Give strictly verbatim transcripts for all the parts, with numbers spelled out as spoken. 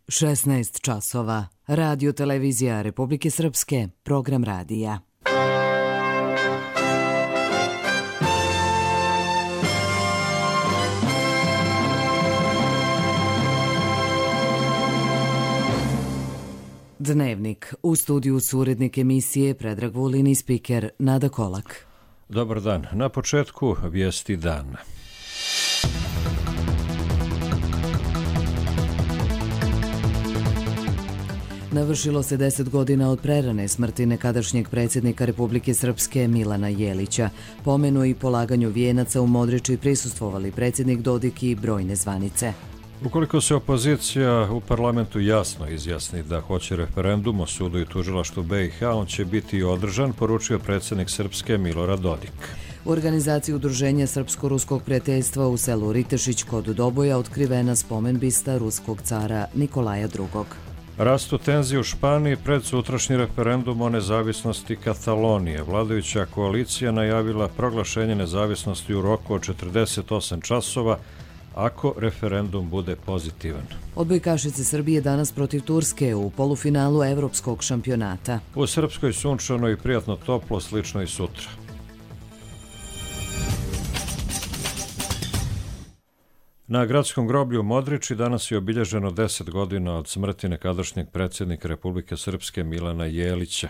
šesnaest časova. Radio televizija Republike Srpske, program radija. Dnevnik. U studiju su urednik emisije Predrag Vulin i spiker Nada Kolak. Dobar dan. Na početku vijesti dana. Navršilo se deset godina od prerane smrti nekadašnjeg predsjednika Republike Srpske Milana Jelića. Pomenu i polaganju vijenaca u Modriči prisustvovali predsjednik Dodik i brojne zvanice. Ukoliko se opozicija u parlamentu jasno izjasni da hoće referendum o sudu i tužilaštvu B i H, on će biti održan, poručio predsjednik Srpske Milorad Dodik. U organizaciji Udruženja Srpsko-ruskog prijateljstva u selu Ritešić kod Doboja otkrivena spomen bista ruskog cara Nikolaja drugog. Rastu tenzije u Španiji pred sutrašnji referendum o nezavisnosti Katalonije. Vladajuća koalicija najavila proglašenje nezavisnosti u roku od četrdeset osam časova ako referendum bude pozitivan. Odbojkašice Srbije danas protiv Turske u polufinalu evropskog šampionata. U Srpskoj sunčano i prijatno toplo, slično i sutra. Na gradskom groblju u Modriči danas je obilježeno deset godina od smrti nekadašnjeg predsjednika Republike Srpske Milana Jelića.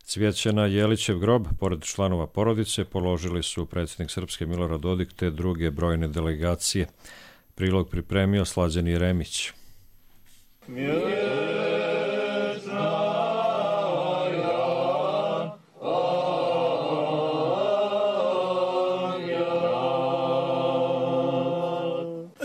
Cvijeće na Jelićev grob, pored članova porodice, položili su predsjednik Srpske Milorad Dodik te druge brojne delegacije. Prilog pripremio Slađan Jeremić.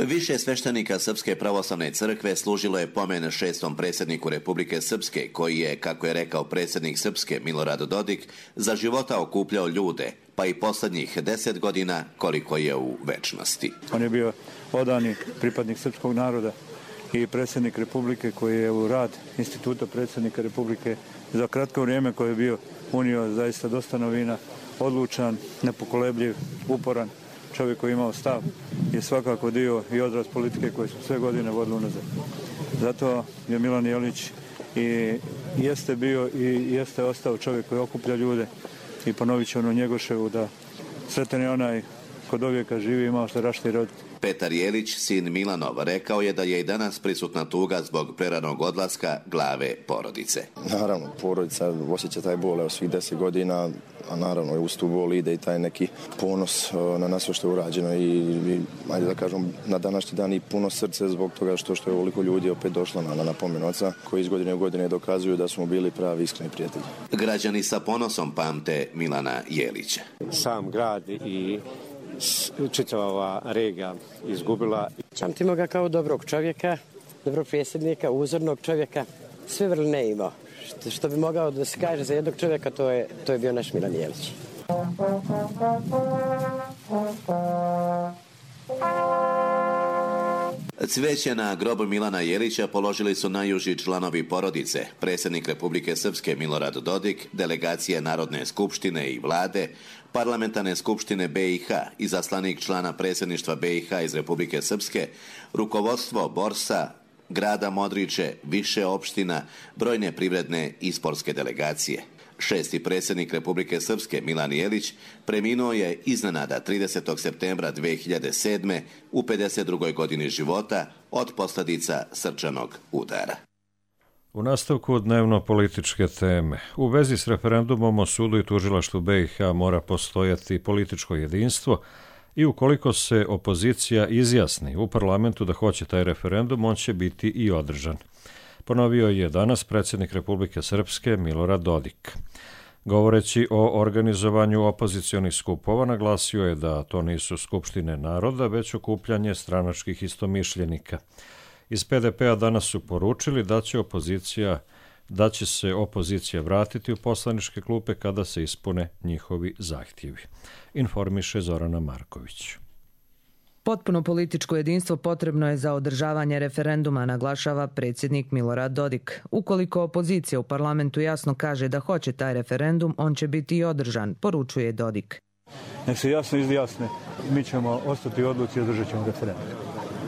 Više sveštenika Srpske pravoslavne crkve služilo je pomen šestom predsjedniku Republike Srpske, koji je, kako je rekao predsjednik Srpske Milorad Dodik, za života okupljao ljude, pa i posljednjih deset godina koliko je u večnosti. On je bio odani pripadnik srpskog naroda i predsjednik Republike koji je u rad instituta predsjednika Republike za kratko vrijeme koje je bio unio zaista dosta novina, odlučan, nepokolebljiv, uporan. Čovjek koji je imao stav je svakako dio i odraz politike koje su sve godine vodili unazad. Zato je Milan Jelić i jeste bio i jeste ostao čovjek koji okuplja ljude i ponovit će ono Njegoševu da sretan je onaj kod ovijeka živi i imao što rašte i roditi. Petar Jelić, sin Milanov, rekao je da je i danas prisutna tuga zbog preranog odlaska glave porodice. Naravno, porodica osjeća taj bol evo svih deset godina, a naravno uz tu bol ide i taj neki ponos na nas što je urađeno i, i ajde da kažem, na današnji dan i puno srce zbog toga što, što je ovoliko ljudi opet došlo na, na napomen oca, koji iz godine u godine dokazuju da smo bili pravi iskreni prijatelji. Građani sa ponosom pamte Milana Jelića. Sam grad i čitava ova regija izgubila. Pamtimo ga kao dobrog čovjeka, dobrog predsjednika, uzornog čovjeka, sve vrline imao. Što, što bi mogao da se kaže za jednog čovjeka, to je, to je bio naš Milan Jelić. Cvijeće na grobu Milana Jelića položili su najuži članovi porodice, predsjednik Republike Srpske Milorad Dodik, delegacije Narodne skupštine i vlade, parlamentarne skupštine B i H, izaslanik člana predsjedništva B i H iz Republike Srpske, rukovodstvo Borsa, grada Modriče, više opština, brojne privredne i sportske delegacije. Šesti predsjednik Republike Srpske Milan Jelić preminuo je iznenada tridesetog septembra dve hiljade sedme u pedeset drugoj godini života od posljedica srčanog udara. U nastavku dnevno političke teme. U vezi s referendumom o sudu i tužilaštvu B i H mora postojati političko jedinstvo i ukoliko se opozicija izjasni u parlamentu da hoće taj referendum, on će biti i održan. Ponovio je danas predsjednik Republike Srpske Milorad Dodik. Govoreći o organizovanju opozicionih skupova, naglasio je da to nisu skupštine naroda, već okupljanje stranačkih istomišljenika. Iz P D P-a danas su poručili da će opozicija, da će se opozicija vratiti u poslaničke klupe kada se ispune njihovi zahtjevi. Informiše Zorana Marković. Potpuno političko jedinstvo potrebno je za održavanje referenduma, naglašava predsjednik Milorad Dodik. Ukoliko opozicija u parlamentu jasno kaže da hoće taj referendum, on će biti i održan, poručuje Dodik. Nek se jasno izjasne, mi ćemo ostati u odluci i održat ćemo referendum.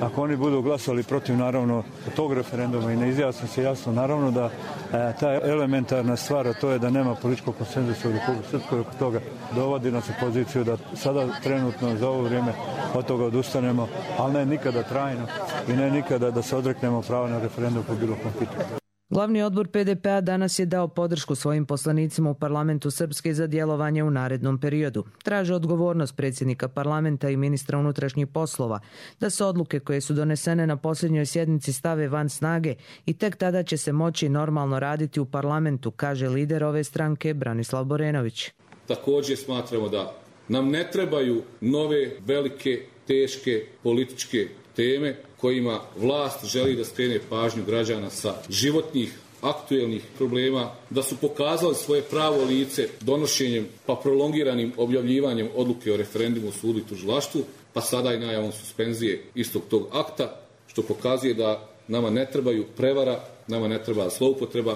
ako oni budu glasali protiv naravno tog referenduma i ne izjasne se jasno, naravno da e, ta elementarna stvar, a to je da nema političkog konsenzusa u Republici Srpskoj oko toga, dovodi nas u poziciju da sada trenutno za ovo vrijeme od toga odustanemo, ali ne nikada trajno i ne nikada da se odreknemo prava na referendum po bilo kom pitanju. Glavni odbor P D P-a danas je dao podršku svojim poslanicima u parlamentu Srpske za djelovanje u narednom periodu. Traže odgovornost predsjednika parlamenta i ministra unutrašnjih poslova da se odluke koje su donesene na posljednjoj sjednici stave van snage i tek tada će se moći normalno raditi u parlamentu, kaže lider ove stranke Branislav Borenović. Također smatramo da nam ne trebaju nove, velike, teške političke teme kojima vlast želi da skrene pažnju građana sa životnih, aktuelnih problema, da su pokazali svoje pravo lice donošenjem pa prolongiranim objavljivanjem odluke o referendumu u sudu i tužilaštvu, pa sada i najavom suspenzije istog tog akta, što pokazuje da nama ne trebaju prevara, nama ne treba zloupotreba.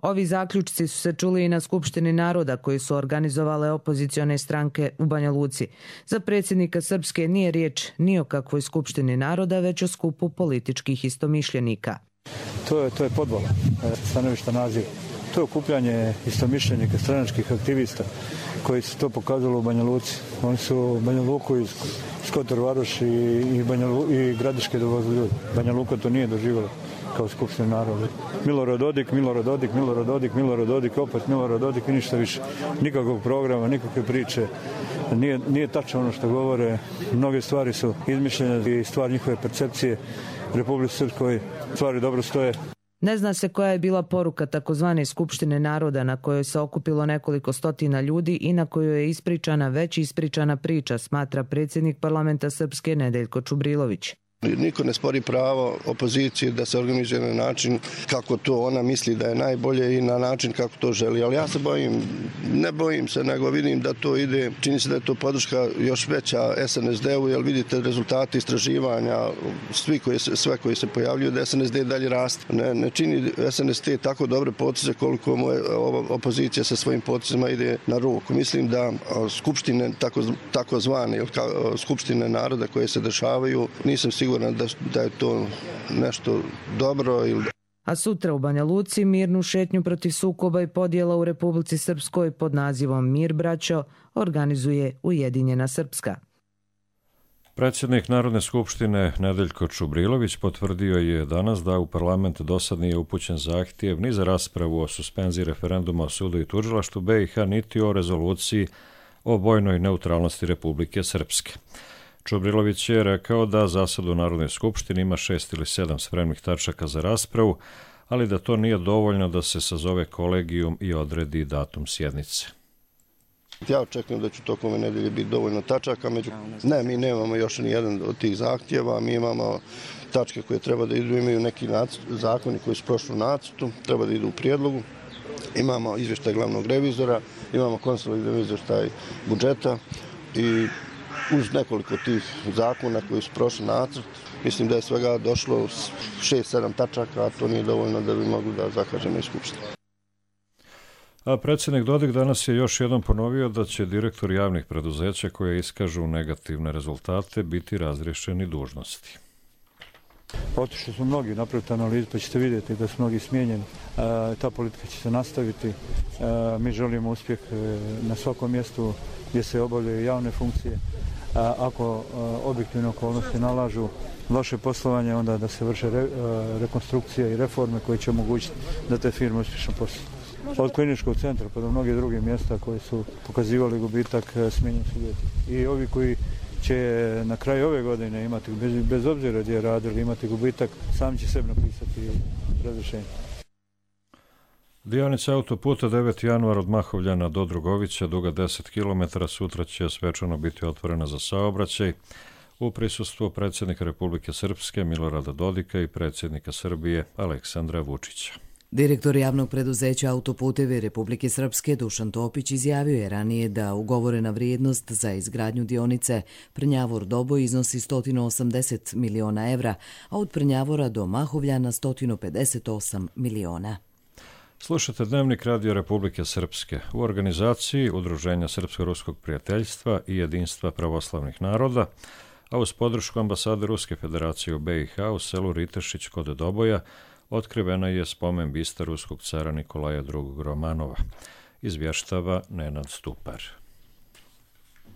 Ovi zaključci su se čuli i na Skupštini naroda koji su organizovale opozicione stranke u Banja Luci. Za predsjednika Srpske nije riječ ni o kakvoj Skupštini naroda, već o skupu političkih istomišljenika. To je, to je podvala, stanovišta naziv. To je okupljanje istomišljenika, stranačkih aktivista koji su to pokazali u Banja Luci. Oni su Banja Luku iz Kotor Varoš i, i, Banja, i Gradiške dovozili ljudi. Banja Luka to nije doživjela kao Skupština naroda. Milorad Dodik, Milorad Dodik, Milorad Dodik, Milorad Dodik, opet Milorad Dodik i ništa više. Nikakvog programa, nikakve priče. Nije, nije tačno ono što govore. Mnoge stvari su izmišljene i stvar njihove percepcije Republike Srpskoj. Stvari dobro stoje. Ne zna se koja je bila poruka takozvane Skupštine naroda na kojoj se okupilo nekoliko stotina ljudi i na kojoj je ispričana već ispričana priča, smatra predsjednik parlamenta Srpske Nedeljko Čubrilović. Niko ne spori pravo opozicije da se organizuje na način kako to ona misli da je najbolje i na način kako to želi. Ali ja se bojim, ne bojim se, nego vidim da to ide, čini se da je to podrška još veća S N S D-u, jer vidite rezultate istraživanja, svi koji se, sve koji se pojavljuju, da S N S D dalje raste. Ne, ne čini S N S D tako dobre potice koliko mu opozicija sa svojim poticama ide na ruku. Mislim da skupštine, tako, tako zvane, skupštine naroda koje se dešavaju, nisam siguran Da, da je to nešto dobro. Ili... A sutra u Banja Luci mirnu šetnju protiv sukoba i podjela u Republici Srpskoj pod nazivom Mir braćo organizuje Ujedinjena Srpska. Predsjednik Narodne skupštine Nedeljko Čubrilović potvrdio je danas da u parlament dosad nije upućen zahtjev ni za raspravu o suspenziji referenduma o sudu i tužilaštvu B i H niti o rezoluciji o vojnoj neutralnosti Republike Srpske. Čubrilović je rekao da za sad u Narodnoj skupštini ima šest ili sedam spremnih tačaka za raspravu, ali da to nije dovoljno da se sazove kolegijum i odredi datum sjednice. Ja očekujem da će tokom ove nedelje biti dovoljno tačaka. Među... Ne, mi nemamo još ni jedan od tih zahtjeva. Mi imamo tačke koje treba da idu, imaju neki nacrt, zakoni koji su prošli u nacrtu, treba da idu u prijedlogu. Imamo izvještaj glavnog revizora, imamo konsolidirani izvještaj budžeta i uz nekoliko tih zakona koji su prošli nacrt, mislim da je svega došlo šest sedam tačaka, a to nije dovoljno da bi mogli da zakažemo iz Skupštine. A predsjednik Dodik danas je još jednom ponovio da će direktor javnih preduzeća koje iskažu negativne rezultate biti razriješeni dužnosti. Otišli su mnogi napraviti analizu, pa ćete vidjeti da su mnogi smijenjeni. E, ta politika će se nastaviti. E, mi želimo uspjeh na svakom mjestu gdje se obavljaju javne funkcije. A ako a, objektivne okolnosti nalažu loše poslovanje, onda da se vrše re, a, rekonstrukcije i reforme koje će omogućiti da te firme uspješno posluju. Od kliničkog centra pa do mnoge druge mjesta koje su pokazivali gubitak, smijenjeni su ljudi. I ovi koji će na kraju ove godine imati, bez, bez obzira gdje je radili, imati gubitak, sam će sebi napisati razrješenje. Dionica autoputa deveti januar od Mahovljana do Drugovića, duga deset kilometara, sutra će svečano biti otvorena za saobraćaj u prisustvu predsjednika Republike Srpske Milorada Dodika i predsjednika Srbije Aleksandra Vučića. Direktor javnog preduzeća Autoputevi Republike Srpske Dušan Topić izjavio je ranije da ugovorena vrijednost za izgradnju dionice Prnjavor-Doboj iznosi sto osamdeset miliona evra, a od Prnjavora do Mahovljana sto pedeset osam miliona. Slušate Dnevnik Radio Republike Srpske. U organizaciji Udruženja Srpsko-ruskog prijateljstva i Jedinstva pravoslavnih naroda a uz podršku ambasade Ruske federacije u B i H u selu Ritešić kod Doboja otkrivena je spomen bista ruskog cara Nikolaja drugog. Romanova. Izvještava Nenad Stupar.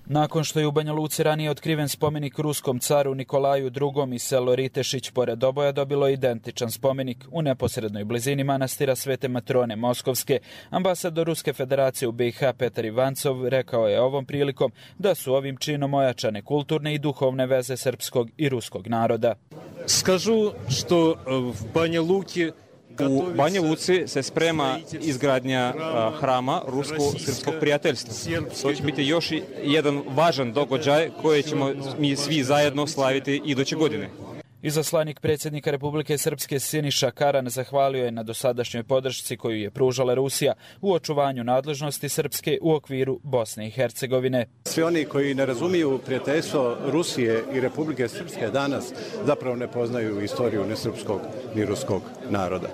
Nakon što je u Banja Luci ranije otkriven spomenik ruskom caru Nikolaju drugom i selo Ritešić pored Doboja dobilo identičan spomenik u neposrednoj blizini manastira Svete Matrone Moskovske, ambasador Ruske federacije u B i H Petar Ivancov rekao je ovom prilikom da su ovim činom ojačane kulturne i duhovne veze srpskog i ruskog naroda. Skažu što v Banja Luki U Banja Luci se sprema izgradnja hrama rusko-srpskog prijateljstva. To će biti još jedan važan događaj koji ćemo mi svi zajedno slaviti iduće godine. Izaslanik predsjednika Republike Srpske Siniša Karan zahvalio je na dosadašnjoj podršci koju je pružala Rusija u očuvanju nadležnosti Srpske u okviru Bosne i Hercegovine. Svi oni koji ne razumiju prijateljstvo Rusije i Republike Srpske danas zapravo ne poznaju istoriju ni srpskog ni ruskog naroda.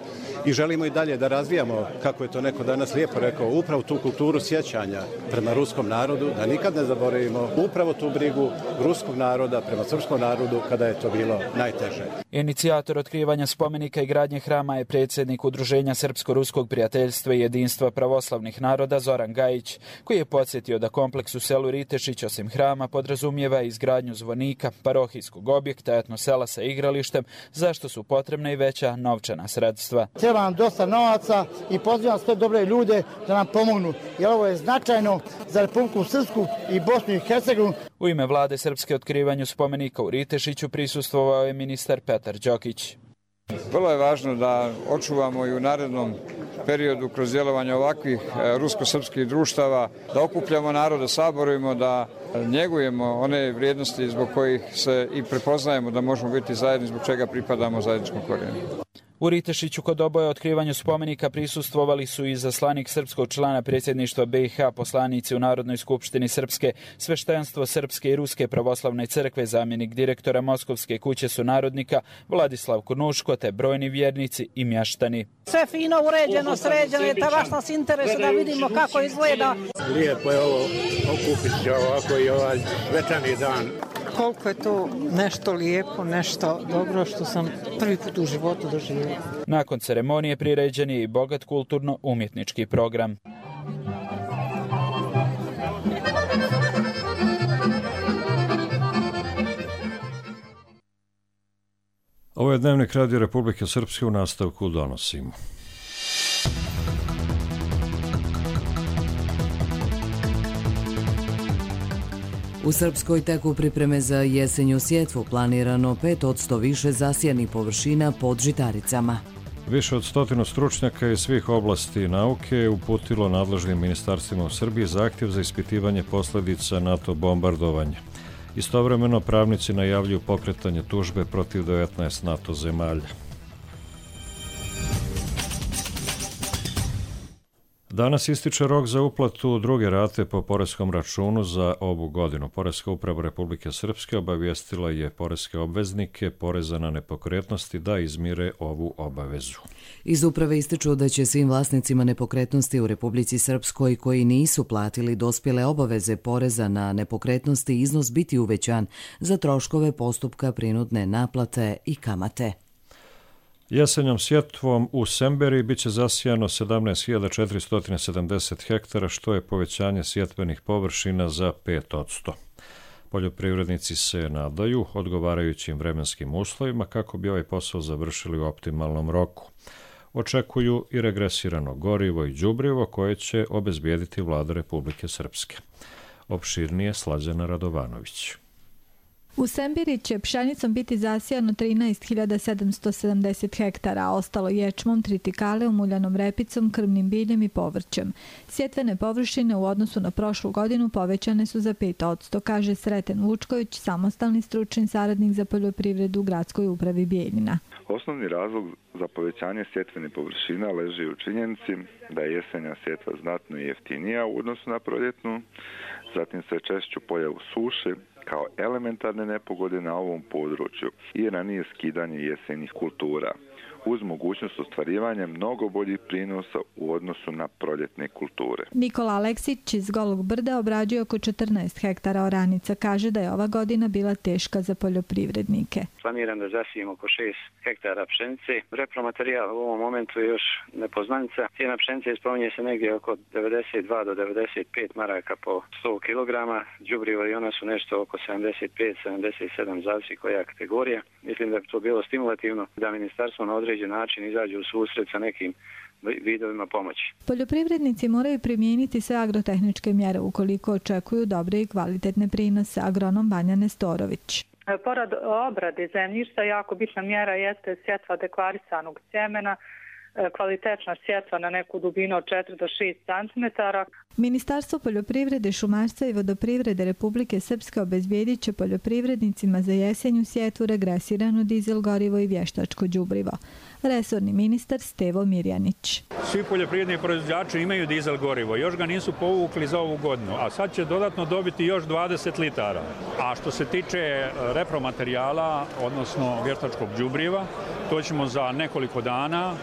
I želimo i dalje da razvijamo, kako je to neko danas lijepo rekao, upravo tu kulturu sjećanja prema ruskom narodu, da nikad ne zaboravimo upravo tu brigu ruskog naroda prema srpskom narodu kada je to bilo najteže. Inicijator otkrivanja spomenika i gradnje hrama je predsjednik Udruženja Srpsko-ruskog prijateljstva i jedinstva pravoslavnih naroda Zoran Gajić, koji je podsjetio da kompleks u selu Ritešić osim hrama podrazumijeva izgradnju zvonika, parohijskog objekta, etnosela sa igralištem, zašto su potrebna i veća novčana sredstva. Treba nam dosta novaca i pozivam sve dobre ljude da nam pomognu, jer ovo je značajno za Republiku Srpsku i Bosnu i Hercegovinu. U ime vlade Srpske otkrivanju spomenika u Ritešiću prisustvovao je ministar Petar Đokić. Vrlo je važno da očuvamo i u narednom periodu kroz djelovanje ovakvih rusko-srpskih društava, da okupljamo narod, da saborujemo, da njegujemo one vrijednosti zbog kojih se i prepoznajemo da možemo biti zajedni, zbog čega pripadamo zajedničkom korijenu. U Ritešiću kod Doboja otkrivanju spomenika prisustvovali su i zaslanik srpskog člana predsjedništva B i H, poslanici u Narodnoj skupštini Srpske, sveštenstvo Srpske i Ruske pravoslavne crkve, zamjenik direktora Moskovske kuće sunarodnika Vladislav Kurnuško te brojni vjernici i mještani. Sve fino, uređeno, sređeno, je ta baš nas interesuje da vidimo kako izgleda. Lijepo je ovo okupiti ovako i ovaj svečani dan. Koliko je to nešto lijepo, nešto dobro što sam prvi put u životu doživjela. Nakon ceremonije priređen je i bogat kulturno-umjetnički program. Ovo je Dnevnik Radio Republike Srpske, u nastavku donosimo. U Srpskoj teku pripreme za jesenju sjetvu, planirano pet posto više zasijanih površina pod žitaricama. Više od stotinu stručnjaka iz svih oblasti nauke je uputilo nadležnim ministarstvima u Srbiji zahtjev za ispitivanje posljedica NATO bombardovanja. Istovremeno pravnici najavljuju pokretanje tužbe protiv devetnaest NATO zemalja. Danas ističe rok za uplatu druge rate po poreskom računu za ovu godinu. Poreska uprava Republike Srpske obavijestila je poreske obveznike poreza na nepokretnosti da izmire ovu obavezu. Iz uprave ističu da će svim vlasnicima nepokretnosti u Republici Srpskoj koji nisu platili dospjele obaveze poreza na nepokretnosti iznos biti uvećan za troškove postupka prinudne naplate i kamate. Jesenjom sjetvom u Semberi biće zasijano sedamnaest hiljada četiristo sedamdeset hektara, što je povećanje sjetvenih površina za pet posto. Poljoprivrednici se nadaju odgovarajućim vremenskim uslovima kako bi ovaj posao završili u optimalnom roku. Očekuju i regresirano gorivo i đubrivo koje će obezbijediti vlada Republike Srpske. Opširnije Slađana Radovanović. U Sembiri će pšenicom biti zasijano trinaest hiljada sedamsto sedamdeset hektara, a ostalo ječmom, tritikale, umuljanom repicom, krmnim biljem i povrćem. Sjetvene površine u odnosu na prošlu godinu povećane su za pet posto, kaže Sreten Vučković, samostalni stručni saradnik za poljoprivredu u gradskoj upravi Bijeljina. Osnovni razlog za povećanje sjetvene površina leži u činjenici da je jesenja sjetva znatno jeftinija u odnosu na proljetnu, zatim sve češću pojavu suše kao elementarne nepogode na ovom području i ranije skidanje jesenjih kultura, uz mogućnost ostvarivanja mnogo boljih prinosa u odnosu na proljetne kulture. Nikola Aleksić iz Golog brda obrađuje oko četrnaest hektara oranica. Kaže da je ova godina bila teška za poljoprivrednike. Planiram da zasijemo oko šest hektara pšenice. Repromaterijal u ovom momentu je još nepoznanica. Cijena pšenice spominje se negdje oko devedeset dva do devedeset pet maraka po sto kilograma. Đubrivo i ona su nešto oko sedamdeset pet do sedamdeset sedam, zavisi koja kategorija. Mislim da bi to bilo stimulativno da ministarstvo na određen način izađe u susret sa nekim vidovima pomoći. Poljoprivrednici moraju primijeniti sve agrotehničke mjere ukoliko očekuju dobre i kvalitetne prinose. Agronom Vanja Nestorović. Pored obrade zemljišta, jako bitna mjera jeste sjetva deklarisanog sjemena, kvalitetna sjetva na neku dubinu od četiri do šest centimetara. Ministarstvo poljoprivrede, šumarstva i vodoprivrede Republike Srpske obezbijedit će poljoprivrednicima za jesenju sjetvu regresirano dizel gorivo i vještačko đubrivo. Resorni ministar Stevo Mirjanić. Svi poljoprivredni proizvođači imaju dizel gorivo, još ga nisu povukli za ovu godinu, a sad će dodatno dobiti još dvadeset litara. A što se tiče repromaterijala, odnosno vještačkog đubriva, to ćemo za nekoliko dana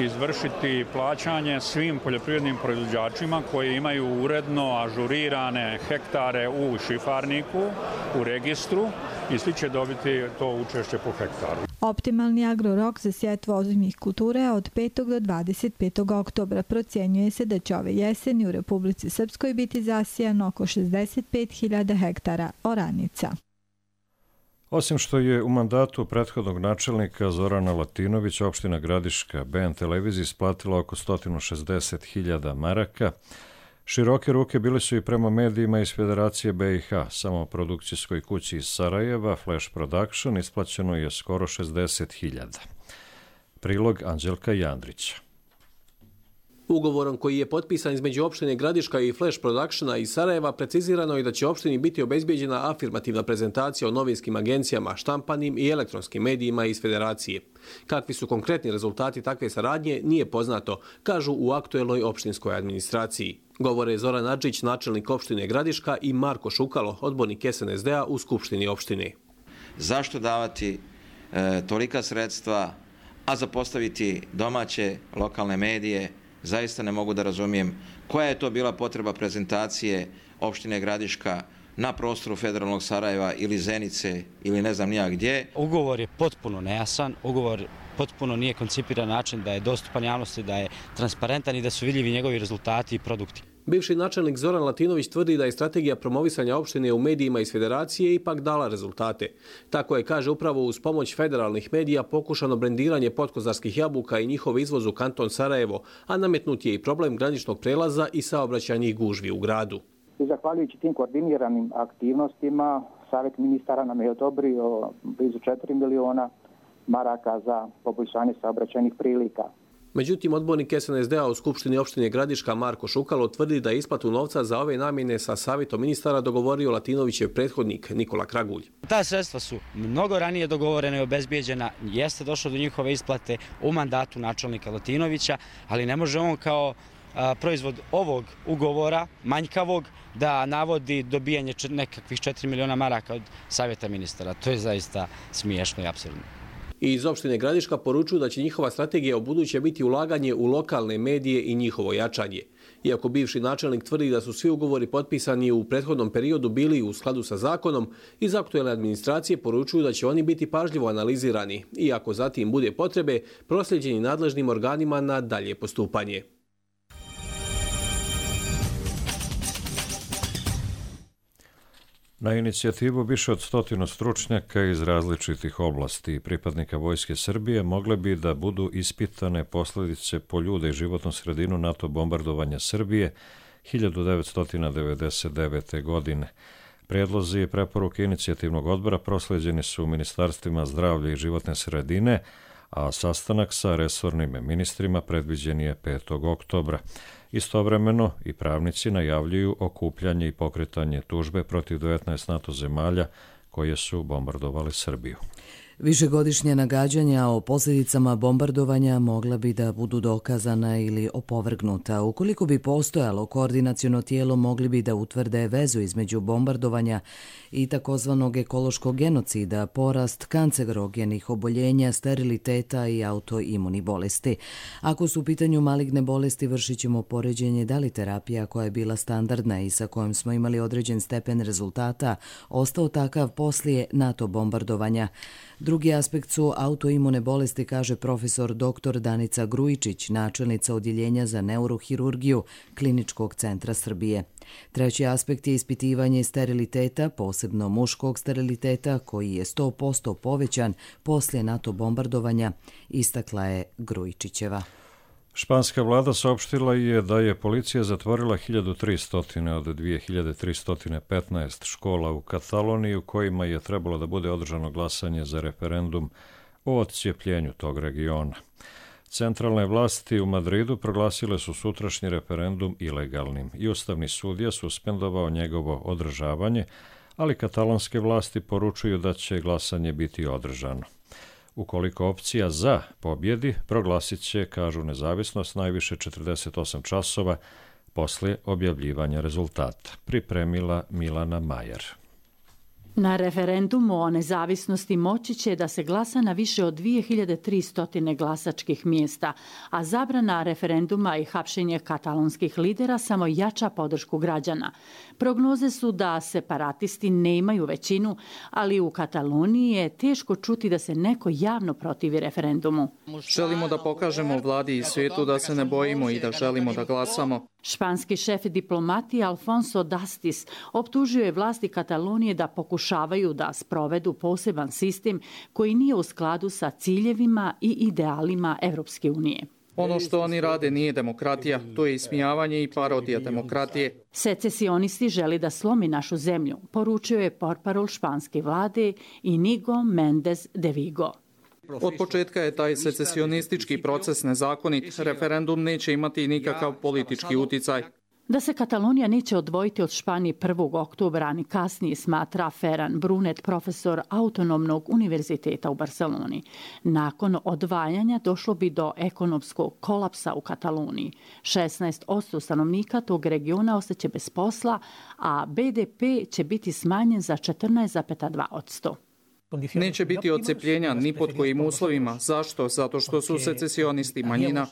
izvršiti plaćanje svim poljoprivrednim proizvođačima koji imaju uredno ažurirane hektare u šifarniku, u registru i svi će dobiti to učešće po hektaru. Optimalni agrorok za sjetvu ozimih kultura je od petog do dvadeset petog oktobra. Procjenjuje se da će ove jeseni u Republici Srpskoj biti zasijano oko šezdeset pet hiljada hektara oranica. Osim što je u mandatu prethodnog načelnika Zorana Latinovića opština Gradiška B N televiziji isplatila oko sto šezdeset hiljada maraka, široke ruke bili su i prema medijima iz Federacije B i H. Samo produkcijskoj kući iz Sarajeva, Flash Production, isplaćeno je skoro šezdeset hiljada. Prilog Anđelka Jandrića. Ugovorom koji je potpisan između opštine Gradiška i Flash Productiona iz Sarajeva precizirano je da će opštini biti obezbijeđena afirmativna prezentacija o novinskim agencijama, štampanim i elektronskim medijima iz Federacije. Kakvi su konkretni rezultati takve saradnje nije poznato, kažu u aktuelnoj opštinskoj administraciji. Govore Zoran Adžić, načelnik opštine Gradiška, i Marko Šukalo, odbornik S N S D-a u Skupštini opštine. Zašto davati e, tolika sredstva, a zapostaviti domaće lokalne medije? Zaista ne mogu da razumijem koja je to bila potreba prezentacije opštine Gradiška na prostoru federalnog Sarajeva ili Zenice ili ne znam nija gdje. Ugovor je potpuno nejasan, ugovor potpuno nije koncipiran način da je dostupan javnosti, da je transparentan i da su vidljivi njegovi rezultati i produkti. Bivši načelnik Zoran Latinović tvrdi da je strategija promovisanja opštine u medijima iz Federacije ipak dala rezultate. Tako je, kaže, upravo uz pomoć federalnih medija pokušano brendiranje potkozarskih jabuka i njihov izvoz u kanton Sarajevo, a nametnut je i problem graničnog prelaza i saobraćajnih gužvi u gradu. I zahvaljujući tim koordiniranim aktivnostima, Savjet ministara nam je odobrio blizu četiri miliona maraka za poboljšanje saobraćajnih prilika. Međutim, odbornik S N S D-a u Skupštini opštine Gradiška Marko Šukalo tvrdi da je isplatu novca za ove namjene sa savjetom ministara dogovorio Latinovićev prethodnik Nikola Kragulj. Ta sredstva su mnogo ranije dogovorena i obezbijeđena, jeste došlo do njihove isplate u mandatu načelnika Latinovića, ali ne može on kao a, proizvod ovog ugovora, manjkavog, da navodi dobijanje nekakvih četiri miliona maraka od savjeta ministara. To je zaista smiješno i apsurdno. I iz opštine Gradiška poručuju da će njihova strategija u buduće biti ulaganje u lokalne medije i njihovo jačanje. Iako bivši načelnik tvrdi da su svi ugovori potpisani u prethodnom periodu bili u skladu sa zakonom, iz aktuelne administracije poručuju da će oni biti pažljivo analizirani i ako zatim bude potrebe, prosljeđeni nadležnim organima na dalje postupanje. Na inicijativu više od stotinu stručnjaka iz različitih oblasti i pripadnika Vojske Srbije mogle bi da budu ispitane posljedice po ljude i životnu sredinu NATO bombardovanja Srbije hiljadu devetsto devedeset devete. godine. Prijedlozi i preporuke inicijativnog odbora proslijeđeni su u ministarstvima zdravlja i životne sredine, a sastanak sa resornim ministrima predviđen je petog oktobra. Istovremeno i pravnici najavljuju okupljanje i pokretanje tužbe protiv devetnaest NATO zemalja koje su bombardovali Srbiju. Višegodišnje nagađanja o posljedicama bombardovanja mogla bi da budu dokazana ili opovrgnuta. Ukoliko bi postojalo koordinaciono tijelo, mogli bi da utvrde vezu između bombardovanja i takozvanog ekološkog genocida, porast kancerogenih oboljenja, steriliteta i autoimuni bolesti. Ako su u pitanju maligne bolesti, vršit ćemo poređenje da li terapija koja je bila standardna i sa kojom smo imali određen stepen rezultata ostao takav poslije NATO bombardovanja. Drugi aspekt su autoimune bolesti, kaže profesor doktor Danica Grujičić, načelnica odjeljenja za neurohirurgiju Kliničkog centra Srbije. Treći aspekt je ispitivanje steriliteta, posebno muškog steriliteta, koji je sto posto povećan poslije NATO bombardovanja, istakla je Grujičićeva. Španska vlada saopštila je da je policija zatvorila hiljadu tristo od dvije hiljade tristo petnaest škola u Kataloniji u kojima je trebalo da bude održano glasanje za referendum o odcijepljenju tog regiona. Centralne vlasti u Madridu proglasile su sutrašnji referendum ilegalnim i Ustavni sud je suspendovao njegovo održavanje, ali katalonske vlasti poručuju da će glasanje biti održano. Ukoliko opcija za pobjedi, proglasit će, kažu, nezavisnost najviše četrdeset osam časova poslije objavljivanja rezultata. Pripremila Milana Majer. Na referendumu o nezavisnosti moći će da se glasa na više od dvije hiljade tristo glasačkih mjesta, a zabrana referenduma i hapšenje katalonskih lidera samo jača podršku građana. Prognoze su da separatisti nemaju većinu, ali u Kataloniji je teško čuti da se neko javno protivi referendumu. Želimo da pokažemo vladi i svijetu da se ne bojimo i da želimo da glasamo. Španski šef diplomatije Alfonso Dastis optužio je vlasti Katalonije da pokušavaju da sprovedu poseban sistem koji nije u skladu sa ciljevima i idealima Evropske unije. Ono što oni rade nije demokratija, to je ismijavanje i parodija demokratije. Secesionisti želi da slomi našu zemlju, poručio je portparol španske vlade Inigo Mendez de Vigo. Od početka je taj secesionistički proces nezakonit. Referendum neće imati nikakav politički uticaj. Da se Katalonija neće odvojiti od Španije prvog oktobra, ni kasnije, smatra Ferran Brunet, profesor Autonomnog univerziteta u Barceloni. Nakon odvajanja došlo bi do ekonomskog kolapsa u Kataloniji. šesnaest posto stanovnika tog regiona ostaće bez posla, a be de pe će biti smanjen za četrnaest zarez dva posto. Neće biti odcepljenja ni pod kojim uslovima. Zašto? Zato što su secesionisti manjina.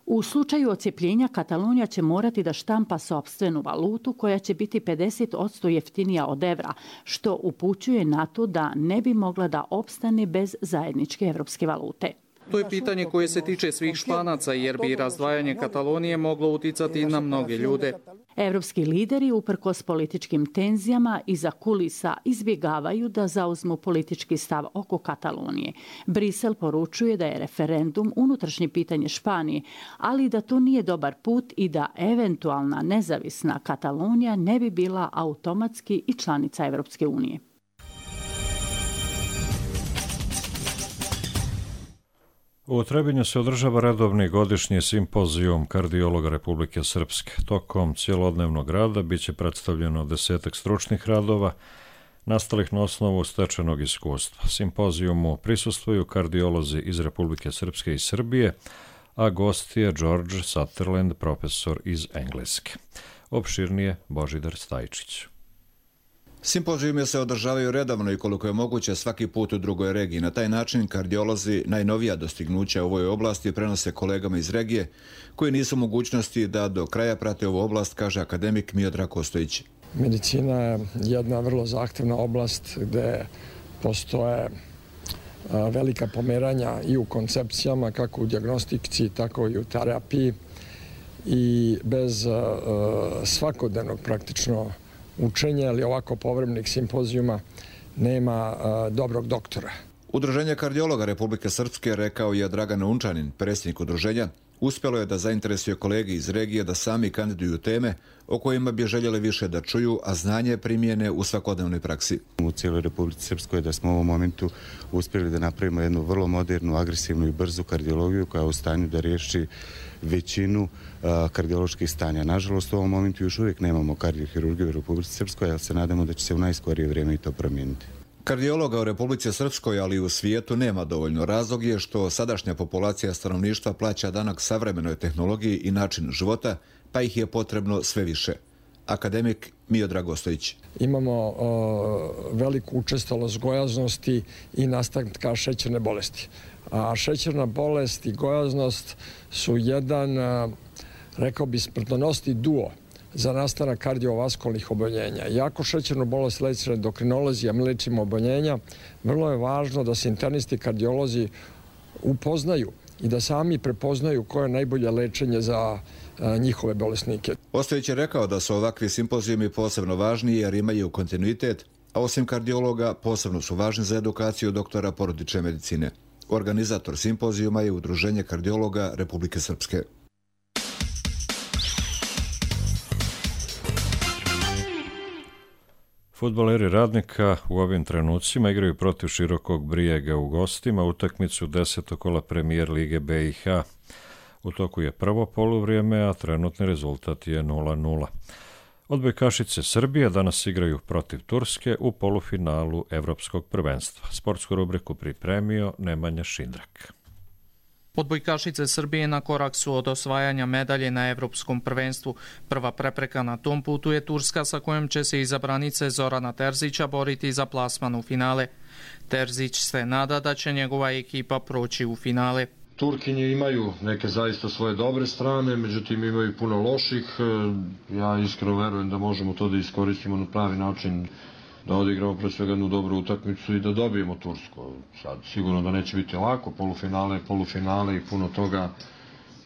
U slučaju odcepljenja Katalonija će morati da štampa sopstvenu valutu koja će biti pedeset posto jeftinija od evra, što upućuje na to da ne bi mogla da opstane bez zajedničke evropske valute. To je pitanje koje se tiče svih Španaca, jer bi razdvajanje Katalonije moglo uticati na mnoge ljude. Evropski lideri, uprkos političkim tenzijama, iza kulisa izbjegavaju da zauzmu politički stav oko Katalonije. Brisel poručuje da je referendum unutrašnje pitanje Španije, ali da to nije dobar put i da eventualna nezavisna Katalonija ne bi bila automatski i članica Evropske unije. U Trebinju se održava redovni godišnji simpozijum kardiologa Republike Srpske. Tokom cijelodnevnog rada bit će predstavljeno desetak stručnih radova nastalih na osnovu stečenog iskustva. Simpozijumu prisustvuju kardiolozi iz Republike Srpske i Srbije, a gost je George Sutherland, profesor iz Engleske. Opširnije Božidar Stajčić. Simpozijume se održavaju redovno i koliko je moguće svaki put u drugoj regiji. Na taj način kardiolozi najnovija dostignuća u ovoj oblasti prenose kolegama iz regije koji nisu u mogućnosti da do kraja prate ovu oblast, kaže akademik Miodrag Kostojić. Medicina je jedna vrlo zahtevna oblast gde postoje velika pomeranja i u koncepcijama, kako u dijagnostici, tako i u terapiji, i bez svakodnevnog praktično učenja ili ovako povremenih simpozijuma nema dobrog doktora. Udruženje kardiologa Republike Srpske, rekao je Dragan Unčanin, predsjednik udruženja, uspjelo je da zainteresuje kolege iz regije da sami kandiduju teme o kojima bi željeli više da čuju, a znanje primijene u svakodnevnoj praksi. U cijeloj Republici Srpskoj da smo u ovom momentu uspjeli da napravimo jednu vrlo modernu, agresivnu i brzu kardiologiju koja je u stanju da riješi većinu uh, kardioloških stanja. Nažalost, u ovom momentu još uvijek nemamo kardiohirurgiju u Republici Srpskoj, ali se nadamo da će se u najskorije vrijeme i to promijeniti. Kardiologa u Republici Srpskoj, ali i u svijetu nema dovoljno. Razlog je što sadašnja populacija stanovništva plaća danak savremenoj tehnologiji i načinu života, pa ih je potrebno sve više. Akademik Miodrag Ostojić. Imamo uh, veliku učestalost gojaznosti i nastanka šećerne bolesti. A šećerna bolest i gojaznost su jedan, uh, rekao bi, smrtonosni duo za nastanak kardiovaskulnih oboljenja. Iako šećernu bolest leče endokrinolozi, a mi lečimo oboljenja, vrlo je važno da se internisti kardiolozi upoznaju i da sami prepoznaju koje je najbolje lečenje za njihove bolesnike. Ostojić je rekao da su ovakvi simpozijumi posebno važni jer imaju kontinuitet, a osim kardiologa posebno su važni za edukaciju doktora porodične medicine. Organizator simpozijuma je Udruženje kardiologa Republike Srpske. Fudbaleri Radnika u ovim trenucima igraju protiv Širokog Brijega u gostima utakmicu desetog kola Premijer Lige B i H. U toku je prvo poluvrijeme, a trenutni rezultat je nula nula. Odbojkašice Srbije danas igraju protiv Turske u polufinalu Evropskog prvenstva. Sportsku rubriku pripremio Nemanja Šindrak. Odbojkašice Srbije na korak su od osvajanja medalje na Evropskom prvenstvu. Prva prepreka na tom putu je Turska, sa kojom će se izabranice Zorana Terzića boriti za plasman u finale. Terzić se nada da će njegova ekipa proći u finale. Turkinje imaju neke zaista svoje dobre strane, međutim imaju puno loših. Ja iskreno verujem da možemo to da iskoristimo na pravi način, da odigramo pre svega jednu dobru utakmicu i da dobijemo Tursku. Sad sigurno da neće biti lako, polufinale, polufinale i puno toga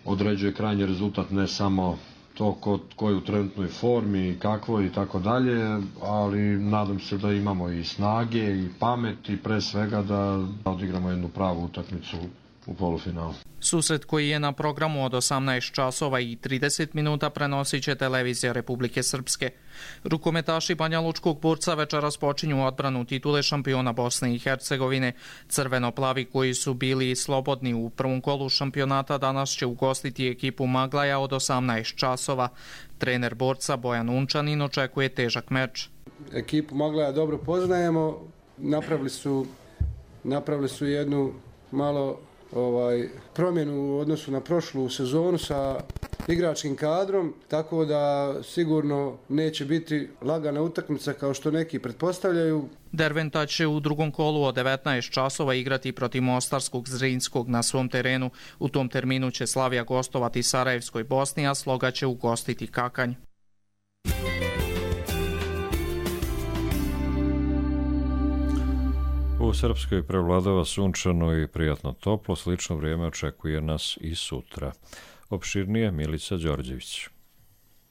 određuje krajnji rezultat, ne samo to ko, ko je u trenutnoj formi i kakvo i tako dalje, ali nadam se da imamo i snage i pamet i pre svega da odigramo jednu pravu utakmicu u polufinalu. Susret koji je na programu od osamnaest časova i trideset minuta prenosit će televizija Republike Srpske. Rukometaši Banja Lučkog Burca večeras počinju odbranu titule šampiona Bosne i Hercegovine. Crveno-plavi koji su bili slobodni u prvom kolu šampionata danas će ugostiti ekipu Maglaja od osamnaest časova. Trener Borca Bojan Unčanin očekuje težak meč. Ekipu Maglaja dobro poznajemo. Napravili su, napravili su jednu malo ovaj, promjenu u odnosu na prošlu sezonu sa igračkim kadrom, tako da sigurno neće biti lagana utakmica kao što neki pretpostavljaju. Derventa će u drugom kolu od devetnaest časova igrati protiv Mostarskog Zrinskog na svom terenu. U tom terminu će Slavija gostovati Sarajevskoj Bosni, a Sloga će ugostiti Kakanj. U Srpskoj prevladava sunčano i prijatno toplo, slično vrijeme očekuje nas i sutra. Opširnije Milica Đorđević.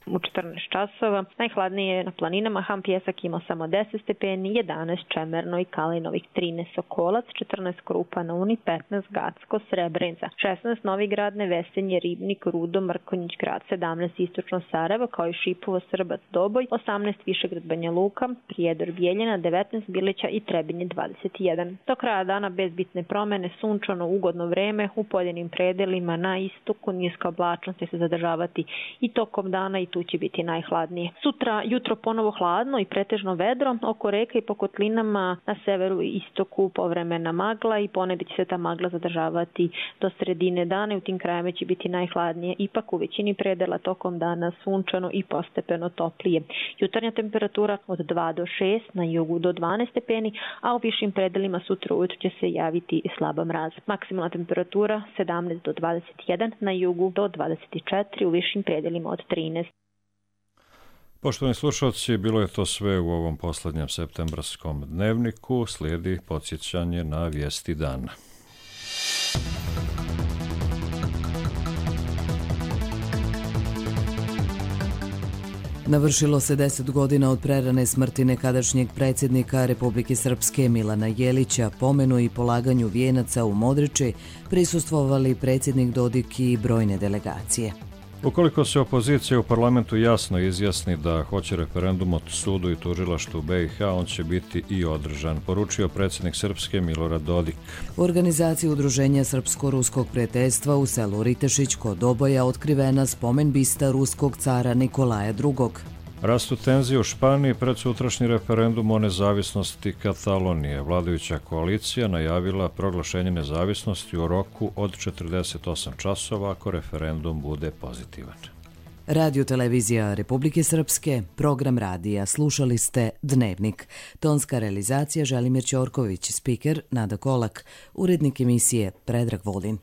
U četrnaest časova najhladnije je na planinama, Ham Pjesak imao samo deset stepeni, jedanaest Čemerno i Kalinovih, trinaest Sokolac, četrnaest Krupa na Uni, petnaest Gacko, Srebrenica, šesnaest Novi Grad, Nevesenje, Ribnik, Rudo, Mrkonjić Grad, sedamnaest Istočno Sarajevo, kao i Šipovo, Srbac, Doboj, osamnaest Višegrad, Banja Luka, Prijedor, Bijeljina, devetnaest Bilića i Trebinje, dvadeset jedan. Do kraja dana bez bitne promene, sunčano, ugodno vreme, u pojedinim predelima na istoku niska oblačnost će se zadržavati i tokom dana i tu će biti najhladnije. Sutra jutro ponovo hladno i pretežno vedro, oko reka i po kotlinama na severu i istoku povremena magla i ponegdje će se ta magla zadržavati do sredine dana i u tim krajevima će biti najhladnije. Ipak u većini predela tokom dana sunčano i postepeno toplije. Jutarnja temperatura od dva do šest, na jugu do dvanaest stepeni, a u višim predelima sutra ujutro će se javiti slaba mraz. Maksimalna temperatura sedamnaest do dvadeset jedan, na jugu do dvadeset četiri, u višim predelima od trinaest. Poštovani slušalci, bilo je to sve u ovom posljednjem septembarskom dnevniku. Slijedi podsjećanje na vijesti dana. Navršilo se deset godina od prerane smrti nekadašnjeg predsjednika Republike Srpske Milana Jelića. Pomenu i polaganju vijenaca u Modriči prisustvovali predsjednik Dodik i brojne delegacije. Ukoliko se opozicija u parlamentu jasno izjasni da hoće referendum o sudu i tužilaštvu B i H, on će biti i održan, poručio predsjednik Srpske Milorad Dodik. U organizaciji Udruženja Srpsko-ruskog prijateljstva u selu Ritešić kod Doboja otkrivena spomen bista ruskog cara Nikolaja drugog. Rastu tenzije u Španiji pred sutrašnji referendum o nezavisnosti Katalonije. Vladajuća koalicija najavila proglašenje nezavisnosti u roku od četrdeset osam časova ako referendum bude pozitivan. Radio televizija Republike Srpske, program radija, slušali ste Dnevnik. Tonska realizacija Želimir Ćorković, spiker Nada Kolak, urednik emisije Predrag Vodin.